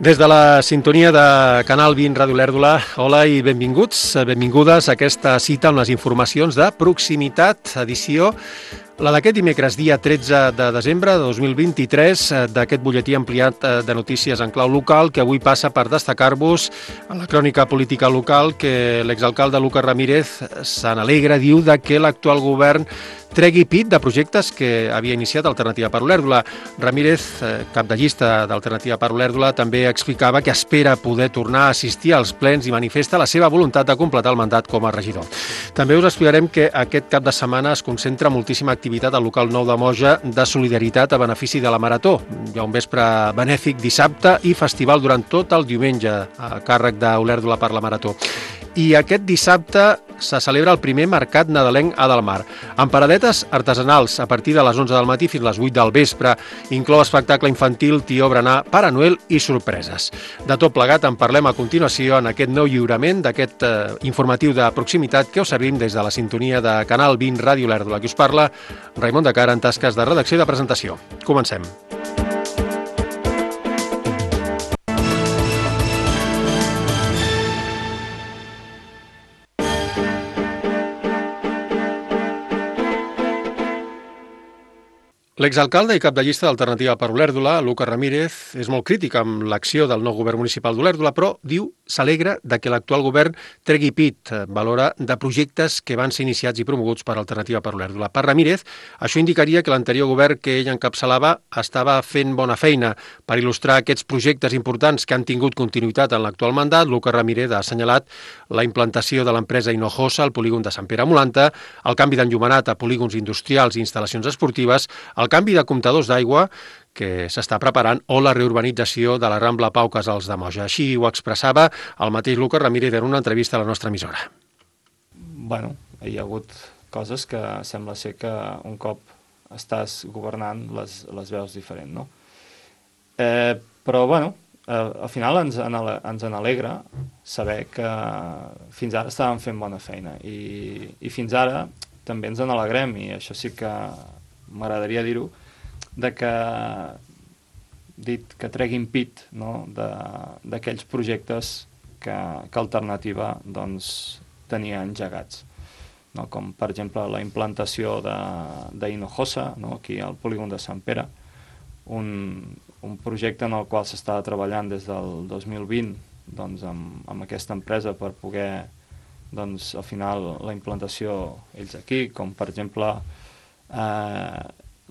Des de la sintonia de Canal 20 Ràdio Olèrdola, hola i benvinguts, benvingudes a aquesta cita amb les informacions de proximitat, edició la d'aquest dimecres, dia 13 de desembre de 2023, d'aquest butlletí ampliat de notícies en clau local, que avui passa per destacar-vos en la crònica política local que l'exalcalde Lucas Ramírez se n'alegra, diu que l'actual govern tregui pit de projectes que havia iniciat Alternativa per Olèrdola. Ramírez, cap de llista d'Alternativa per Olèrdola, també explicava que espera poder tornar a assistir als plens i manifesta la seva voluntat de completar el mandat com a regidor. També us explicarem que aquest cap de setmana es concentra moltíssima activitat al local nou de Moja de solidaritat a benefici de la Marató. Hi ha un vespre benèfic dissabte i festival durant tot el diumenge a càrrec d'Olèrdola per la Marató. I aquest dissabte se celebra el primer mercat nadalenc a Del Mar, amb paradetes artesanals a partir de les 11 del matí fins a les 8 del vespre. Inclou espectacle infantil, tió, berenar, Pare Noel i sorpreses. De tot plegat en parlem a continuació en aquest nou lliurament d'aquest informatiu de proximitat que us servim des de la sintonia de Canal 20 Ràdio Olèrdola. Qui us parla, Raimon de Cara, en tasques de redacció i de presentació. Comencem. L'exalcalde i cap de llista d'Alternativa per Olèrdola, Lucas Ramírez, és molt crític amb l'acció del nou govern municipal d'Olèrdola, però diu s'alegra de que l'actual govern tregui pit, valora, de projectes que van ser iniciats i promoguts per Alternativa per Olèrdola. Per Ramírez, això indicaria que l'anterior govern que ell encapçalava estava fent bona feina. Per il·lustrar aquests projectes importants que han tingut continuïtat en l'actual mandat, Lucas Ramírez ha assenyalat la implantació de l'empresa Hinojosa al polígon de Sant Pere Molanta, el canvi d'enllumenat a polígons industrials i instal·lacions esportives, el canvi de comptadors d'aigua que s'està preparant o la reurbanització de la Rambla Pau Casals de Moja. Així ho expressava el mateix Lucas Ramírez en una entrevista a la nostra emissora. Bueno, hi ha hagut coses que sembla ser que un cop estàs governant les veus diferent, no? Però, bueno, al final ens alegra saber que fins ara estàvem fent bona feina i fins ara també ens n'alegrem, i això sí que m'agradaria dir-ho, que treguin pit, no?, d'aquells projectes que Alternativa doncs, tenia engegats, no? Com per exemple la implantació d'Hinojosa, no?, aquí al polígon de Sant Pere, un projecte en el qual s'estava treballant des del 2020 doncs, amb aquesta empresa per poder, doncs, al final, la implantació ells aquí, com per exemple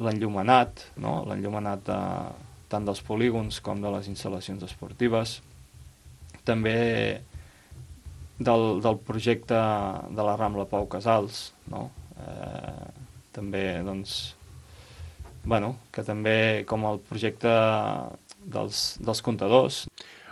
l'enllumenat, no? L'enllumenat tant dels polígons com de les instal·lacions esportives. També del projecte de la Rambla Pau Casals, no? També, doncs, bueno, que també com el projecte dels comptadors.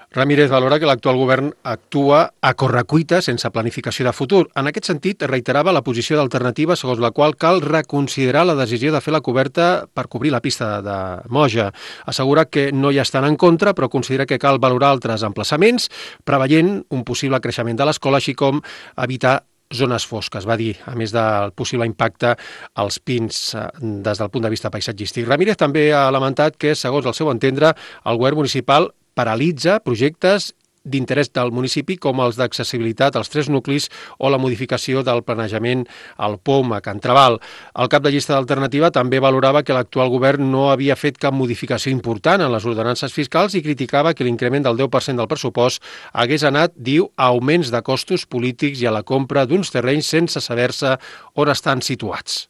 Ramírez valora que l'actual govern actua a correcuita sense planificació de futur. En aquest sentit, reiterava la posició d'Alternativa segons la qual cal reconsiderar la decisió de fer la coberta per cobrir la pista de Moja. Assegura que no hi estan en contra, però considera que cal valorar altres emplaçaments, preveient un possible creixement de l'escola, així com evitar zones fosques, va dir, a més del possible impacte als pins des del punt de vista paisatgístic. Ramírez també ha lamentat que, segons el seu entendre, el govern municipal paralitza projectes d'interès del municipi com els d'accessibilitat als 3 nuclis o la modificació del planejament al POM a Can Trabal. El cap de llista d'Alternativa també valorava que l'actual govern no havia fet cap modificació important en les ordenances fiscals i criticava que l'increment del 10% del pressupost hagués anat, diu, a augments de costos polítics i a la compra d'uns terrenys sense saber-se on estan situats.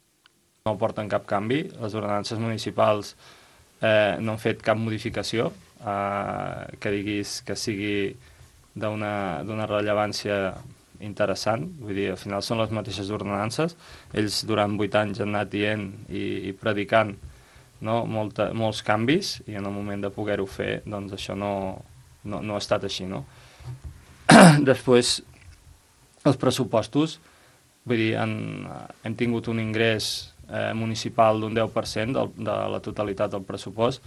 No porten cap canvi, les ordenances municipals no han fet cap modificació que diguis que sigui d'una rellevància interessant. Vull dir, al final són les mateixes ordenances. Ells durant 8 anys han anat dient i predicant, no?, molts canvis, i en el moment de poder-ho fer, doncs això no ha estat així, no? Després, els pressupostos, vull dir, hem tingut un ingrés municipal d'un 10% de la totalitat del pressupost,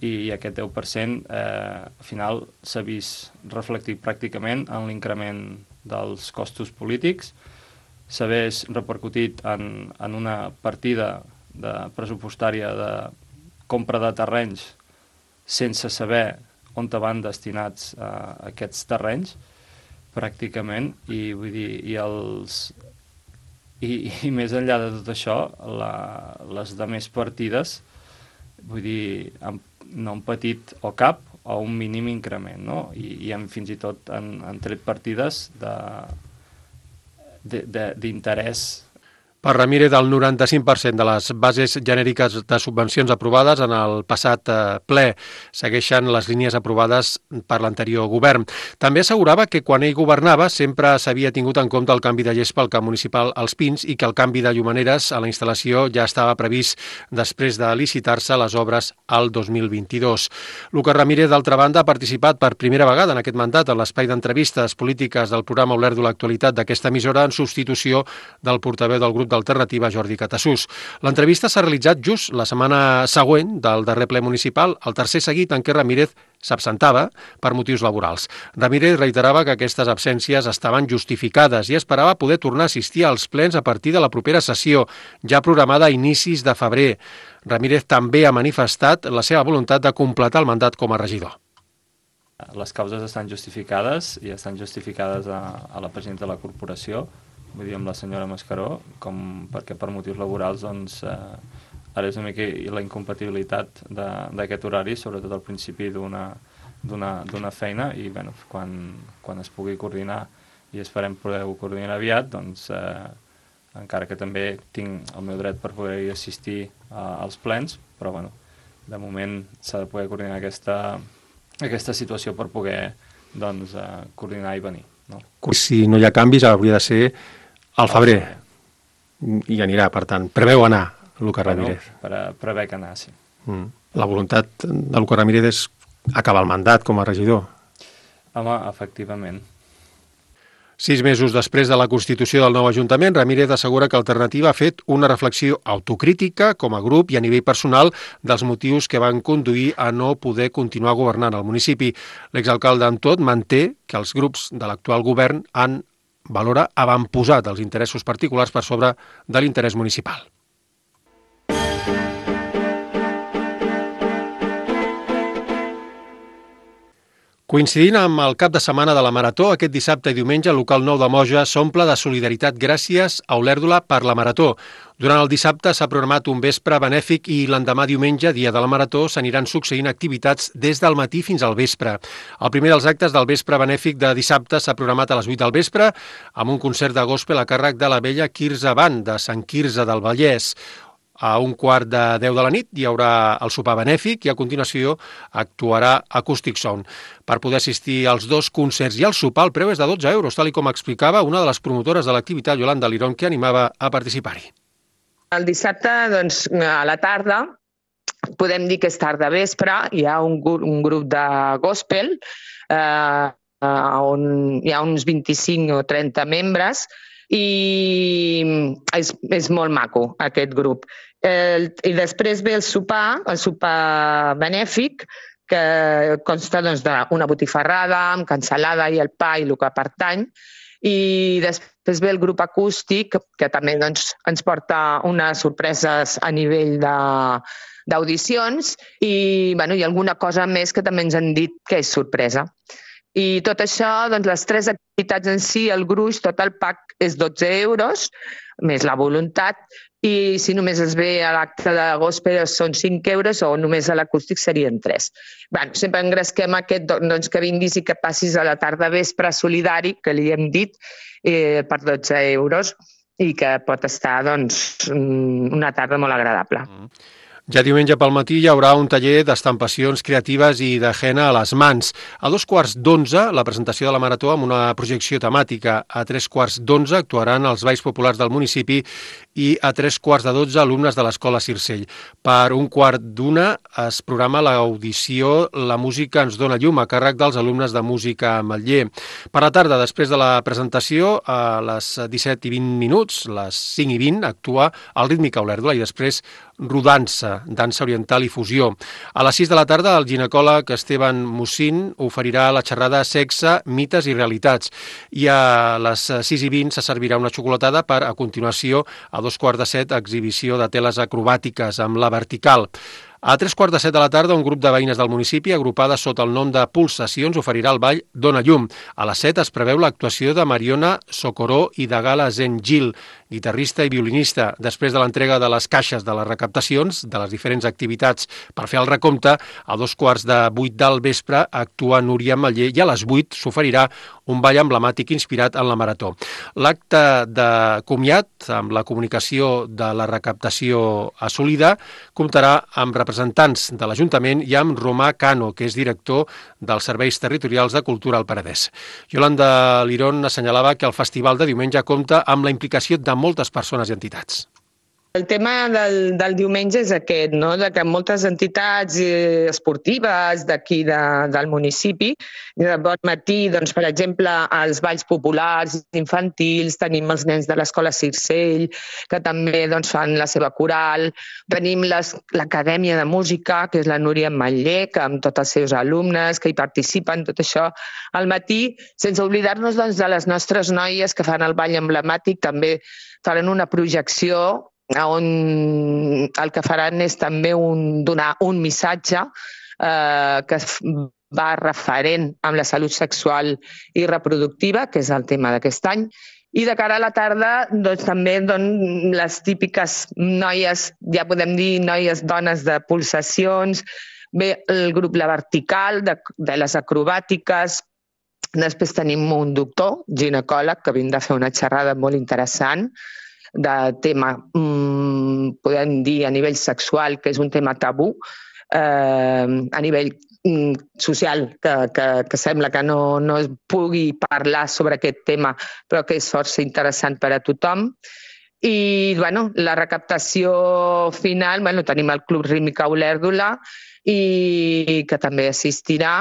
i aquest 10% al final s'ha vist reflectit pràcticament en l'increment dels costos polítics, s'ha vist repercutit en una partida pressupostària de compra de terrenys sense saber on van destinats aquests terrenys, pràcticament, i vull dir, i més enllà de tot això, les demés partides, vull dir, no han patit o cap o un mínim increment, no? I fins i tot han tret partides d'interès. Per Ramírez, el 95% de les bases genèriques de subvencions aprovades en el passat ple segueixen les línies aprovades per l'anterior govern. També assegurava que quan ell governava sempre s'havia tingut en compte el canvi de gespa al camp municipal als Pins i que el canvi de llumaneres a la instal·lació ja estava previst després de licitar-se les obres al 2022. Lucas Ramírez, d'altra banda, ha participat per primera vegada en aquest mandat en l'espai d'entrevistes polítiques del programa Olèrdola l'actualitat d'aquesta emissora en substitució del portaveu del grup d'Alternativa, Jordi Catassús. L'entrevista s'ha realitzat just la setmana següent del darrer ple municipal, el tercer seguit en què Ramírez s'absentava per motius laborals. Ramírez reiterava que aquestes absències estaven justificades i esperava poder tornar a assistir als plens a partir de la propera sessió, ja programada a inicis de febrer. Ramírez també ha manifestat la seva voluntat de completar el mandat com a regidor. Les causes estan justificades i estan justificades a la presidenta de la corporació, vull dir, amb la senyora Mascaró, perquè per motius laborals doncs, ara és una mica la incompatibilitat d'aquest horari, sobretot al principi d'una feina, i bueno, quan es pugui coordinar, i esperem poder-ho coordinar aviat, doncs, encara que també tinc el meu dret per poder assistir als plens, però bueno, de moment s'ha de poder coordinar aquesta situació per poder doncs, coordinar i venir. No? Si no hi ha canvis, hauria de ser al febrer. I anirà, per tant. Preveu anar, Lucas Ramírez. Prevec anar, sí. La voluntat de Lucas Ramírez és acabar el mandat com a regidor. Home, efectivament. 6 mesos després de la constitució del nou Ajuntament, Ramírez assegura que Alternativa ha fet una reflexió autocrítica com a grup i a nivell personal dels motius que van conduir a no poder continuar governant el municipi. L'exalcalde, amb tot, manté que els grups de l'actual govern han avantposat els interessos particulars per sobre de l'interès municipal. Coincidint amb el cap de setmana de la Marató, aquest dissabte i diumenge el local 9 de Moja s'omple de solidaritat gràcies a Olèrdola per la Marató. Durant el dissabte s'ha programat un vespre benèfic i l'endemà diumenge, dia de la Marató, s'aniran succeint activitats des del matí fins al vespre. El primer dels actes del vespre benèfic de dissabte s'ha programat a les 8 del vespre amb un concert de gospel a càrrec de la vella Quirze Band de Sant Quirze del Vallès. A 1:15 de la nit hi haurà el sopar benèfic i a continuació actuarà Acoustic Sound. Per poder assistir als dos concerts i al sopar el preu és de 12 euros, tal com explicava una de les promotores de l'activitat, Yolanda Lirón, que animava a participar-hi. El dissabte, doncs, a la tarda, podem dir que és tarda vespre, hi ha un grup de gospel on hi ha uns 25 o 30 membres i és molt maco aquest grup. I després ve el sopar benèfic, que consta doncs, d'una botifarrada amb cansalada i el pa i el que pertany, i després ve el grup acústic, que també doncs, ens porta unes sorpreses a nivell d'audicions i alguna cosa més que també ens han dit que és sorpresa. I tot això, doncs, les 3 activitats en si, el gruix, tot el pack és 12 euros, més la voluntat, i si només es ve a l'acte de gospel són 5 euros o només a l'acústic serien 3. Sempre engresquem aquest, doncs, que vinguis i que passis a la tarda vespre solidari, que li hem dit, per 12 euros i que pot estar doncs, una tarda molt agradable. Ja diumenge pel matí hi haurà un taller d'estampacions creatives i de henna a les mans. A 11:15, la presentació de la Marató amb una projecció temàtica. A 11:15 actuaran els balls populars del municipi i a 11:45 alumnes de l'Escola Circell. Per 1:15 es programa l'audició La música ens dona llum a càrrec dels alumnes de música a Ametller. Per la tarda, després de la presentació, a les 17:20, les 5:20, actua el Rítmica Olèrdola i després rodança, dansa oriental i fusió. A les 6 de la tarda, el ginecòleg Esteban Mussín oferirà la xerrada Sexe, mites i realitats. I a les 6:20 se servirà una xocolatada per, a continuació, a 6:45, exhibició de teles acrobàtiques amb la vertical. A 3:15 de la tarda, un grup de veïnes del municipi, agrupades sota el nom de Pulsacions, oferirà el ball Dona Llum. A les 7 es preveu l'actuació de Mariona Socoró i de Gala Zengil, guitarrista i violinista. Després de l'entrega de les caixes de les recaptacions de les diferents activitats per fer el recompte, a 7:45 del vespre actua Núria Mallé i a les 8 s'oferirà un ball emblemàtic inspirat en la Marató. L'acte de comiat, amb la comunicació de la recaptació assolida, comptarà amb representants de l'Ajuntament i amb Romà Cano, que és director dels Serveis Territorials de Cultura al Penedès. Yolanda Lirón assenyalava que el festival de diumenge compta amb la implicació de moltes persones i entitats. El tema del diumenge és aquest, no? De que moltes entitats esportives d'aquí del municipi, de bon matí, doncs, per exemple, els balls populars infantils, tenim els nens de l'Escola Circell, que també doncs, fan la seva coral, tenim l'Acadèmia de Música, que és la Núria Mallé, que amb tots els seus alumnes que hi participen, tot això al matí, sense oblidar-nos doncs, de les nostres noies que fan el ball emblemàtic, també faran una projecció on el que faran és també donar un missatge que va referent amb la salut sexual i reproductiva, que és el tema d'aquest any. I de cara a la tarda, doncs, també les típiques noies, ja podem dir noies dones de pulsacions, ve el grup La Vertical, de les acrobàtiques. Després tenim un doctor, ginecòleg, que vindrà a fer una xerrada molt interessant de tema, podem dir, a nivell sexual, que és un tema tabú, a nivell social, que sembla que no es pugui parlar sobre aquest tema, però que és força interessant per a tothom. I la recaptació final, tenim el Club Rítmica Olèrdola, i que també assistirà,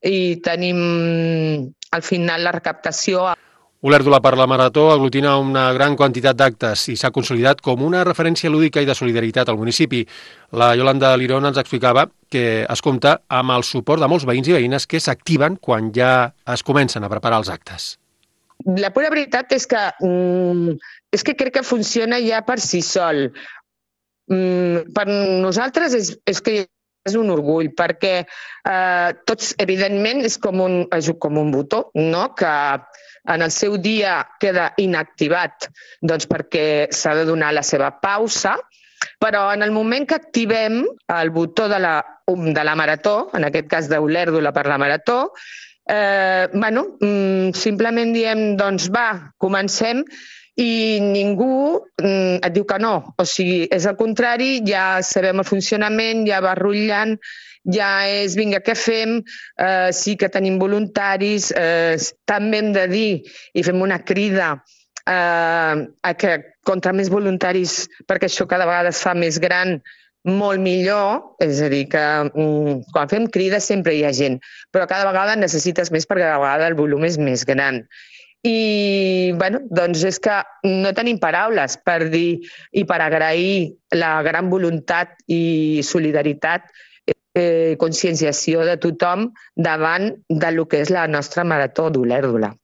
i tenim al final la recaptació. Olèrdola per la Marató aglutina una gran quantitat d'actes i s'ha consolidat com una referència lúdica i de solidaritat al municipi. La Yolanda Lirón ens explicava que es compta amb el suport de molts veïns i veïnes que s'activen quan ja es comencen a preparar els actes. La pura veritat és que crec que funciona ja per si sol. Per nosaltres és un orgull, perquè tots, evidentment, és com un botó, no? Que en el seu dia queda inactivat perquè s'ha de donar la seva pausa, però en el moment que activem el botó de la Marató, en aquest cas d'Olèrdola per la Marató, simplement diem, doncs va, comencem, i ningú et diu que no. O sigui, és al contrari, ja sabem el funcionament, ja va rotllant, ja és, vinga, què fem? Sí que tenim voluntaris, també hem de dir, i fem una crida a que contra més voluntaris, perquè això cada vegada es fa més gran, molt millor, és a dir, que quan fem crida sempre hi ha gent, però cada vegada necessites més perquè cada vegada el volum és més gran. I, doncs és que no tenim paraules per dir i per agrair la gran voluntat i solidaritat, conscienciació de tothom davant del que és la nostra Marató d'Olèrdola.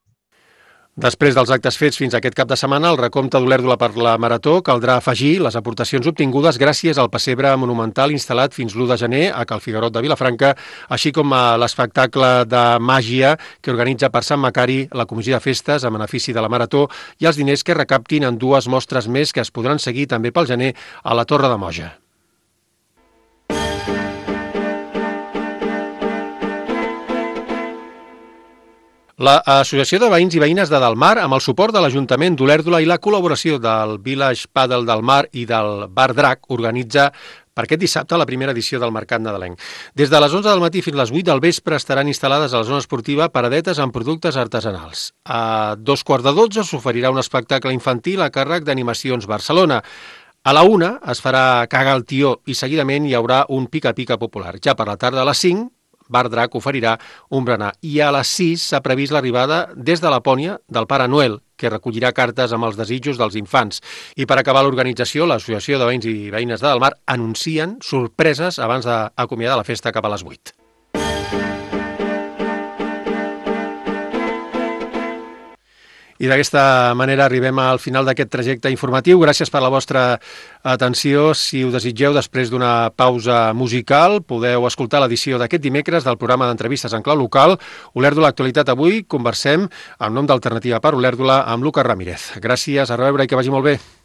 Després dels actes fets fins aquest cap de setmana, el recompte d'Olèrdola per la Marató caldrà afegir les aportacions obtingudes gràcies al pessebre monumental instal·lat fins l'1 de gener a Cal Figuerot de Vilafranca, així com a l'espectacle de màgia que organitza per Sant Macari la Comissió de Festes a benefici de la Marató i els diners que recaptin en 2 mostres més que es podran seguir també pel gener a la Torre de Moja. L'Associació de Veïns i Veïnes de Delmar, amb el suport de l'Ajuntament d'Olèrdola i la col·laboració del Village Padel del Mar i del Bar Drac, organitza per aquest dissabte la primera edició del Mercat Nadalenc. Des de les 11 del matí fins a les 8 del vespre estaran instal·lades a la zona esportiva paradetes amb productes artesanals. A 11:15 s'oferirà un espectacle infantil a càrrec d'Animacions Barcelona. A la 1 es farà Caga el tió i seguidament hi haurà un pica-pica popular. Ja per la tarda a les 5 Bar Drac oferirà un berenar. I a les 6 s'ha previst l'arribada des de Lapònia del Pare Noel, que recollirà cartes amb els desitjos dels infants. I per acabar l'organització, l'Associació de Veïns i Veïnes de Delmar anuncien sorpreses abans d'acomiadar la festa cap a les 8. I d'aquesta manera arribem al final d'aquest trajecte informatiu. Gràcies per la vostra atenció. Si ho desitgeu, després d'una pausa musical, podeu escoltar l'edició d'aquest dimecres del programa d'entrevistes en clau local. Olèrdola Actualitat avui conversem en nom d'Alternativa per Olèrdola amb Lucas Ramírez. Gràcies, a reveure i que vagi molt bé.